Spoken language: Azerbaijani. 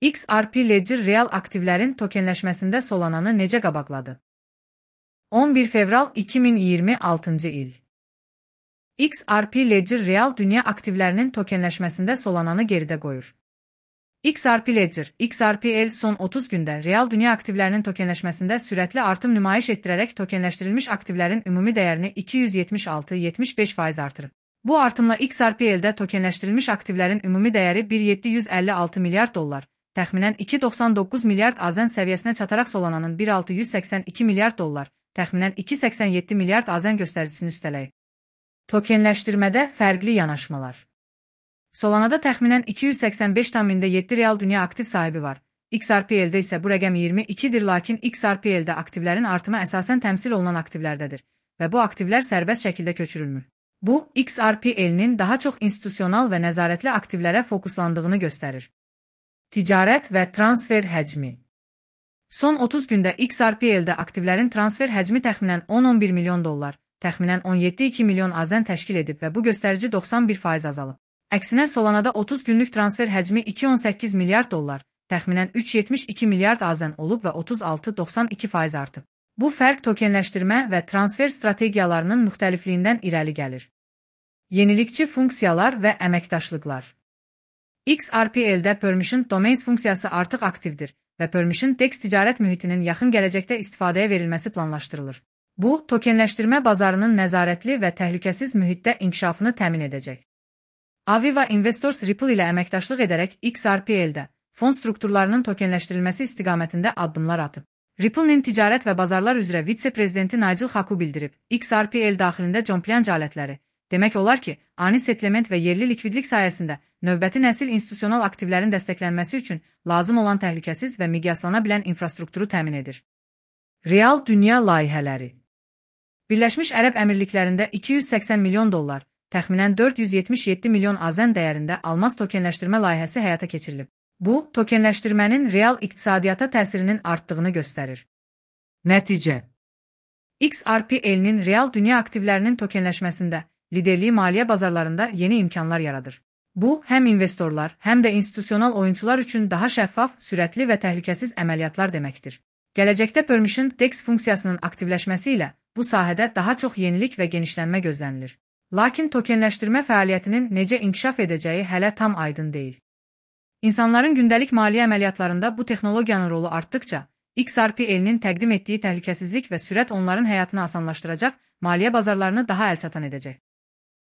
XRP Ledger real aktivlərin tokenləşməsində Solananı necə qabaqladı? 11 fevral 2026 il. XRP Ledger real dünya aktivlərinin tokenləşməsində Solananı geridə qoyur. XRP Ledger, XRPL son 30 gündə real dünya aktivlərinin tokenləşməsində sürətli artım nümayiş etdirərək tokenləşdirilmiş aktivlərin ümumi dəyərini 276,75% artırıb. Bu artımla XRPL-də tokenləşdirilmiş aktivlərin ümumi dəyəri 1,756 milyard dollar, təxminən 2,99 milyard AZN səviyyəsinə çataraq Solananın 1,682 milyard dollar, təxminən 2,87 milyard AZN göstəricisini üstələyib. Tokenləşdirmədə fərqli yanaşmalar. Solanada təxminən 285,7 real dünya aktiv sahibi var. XRPL-də isə bu rəqəm 22-dir, lakin XRPL-də aktivlərin artımı əsasən təmsil olunan aktivlərdədir və bu aktivlər sərbəst şəkildə köçürülmür. Bu, XRPL-nin daha çox institusional və nəzarətli aktivlərə fokuslandığını göstərir. Ticarət və transfer həcmi. Son 30 gündə XRPL-də aktivlərin transfer həcmi təxminən 10-11 milyon dollar, təxminən 17,2 milyon AZN təşkil edib və bu göstərici 91% azalıb. Əksinə Solanada 30 günlük transfer həcmi 2,18 milyard dollar, təxminən 3,72 milyard AZN olub və 36,92% artıb. Bu fərq tokenləşdirmə və transfer strategiyalarının müxtəlifliyindən irəli gəlir. Yenilikçi funksiyalar və əməkdaşlıqlar. XRPL-də Permission Domains funksiyası artıq aktivdir və Permission DEX ticarət mühitinin yaxın gələcəkdə istifadəyə verilməsi planlaşdırılır. Bu, tokenləşdirmə bazarının nəzarətli və təhlükəsiz mühitdə inkişafını təmin edəcək. Aviva Investors Ripple ilə əməkdaşlıq edərək XRPL-də fond strukturlarının tokenləşdirilməsi istiqamətində addımlar atıb. Ripple'nin ticarət və bazarlar üzrə vitse-prezidenti Nigel Haku bildirib, XRPL daxilində Jomplianc alətləri, demək olar ki, ani settlement və yerli likvidlik sayəsində növbəti nəsil institusional aktivlərin dəstəklənməsi üçün lazım olan təhlükəsiz və miqyaslana bilən infrastrukturu təmin edir. Real dünya layihələri. Birləşmiş Ərəb Əmirliklərində 280 milyon dollar, təxminən 477 milyon AZN dəyərində almaz tokenləşdirmə layihəsi həyata keçirilib. Bu, tokenləşdirmənin real iqtisadiyyata təsirinin artdığını göstərir. Nəticə. XRPL-nin real dünya aktivlərinin tokenləşməsində liderliyi maliyyə bazarlarında yeni imkanlar yaradır. Bu, həm investorlar, həm də institusional oyunçular üçün daha şəffaf, sürətli və təhlükəsiz əməliyyatlar deməkdir. Gələcəkdə Permission DEX funksiyasının aktivləşməsi ilə bu sahədə daha çox yenilik və genişlənmə gözlənilir. Lakin tokenləşdirmə fəaliyyətinin necə inkişaf edəcəyi hələ tam aydın deyil. İnsanların gündəlik maliyyə əməliyyatlarında bu texnologiyanın rolu artdıkca, XRPL-nin təqdim etdiyi təhlükəsizlik və sürət onların həyatını asanlaşdıracaq, maliyyə bazarlarını daha əlçatan edəcək.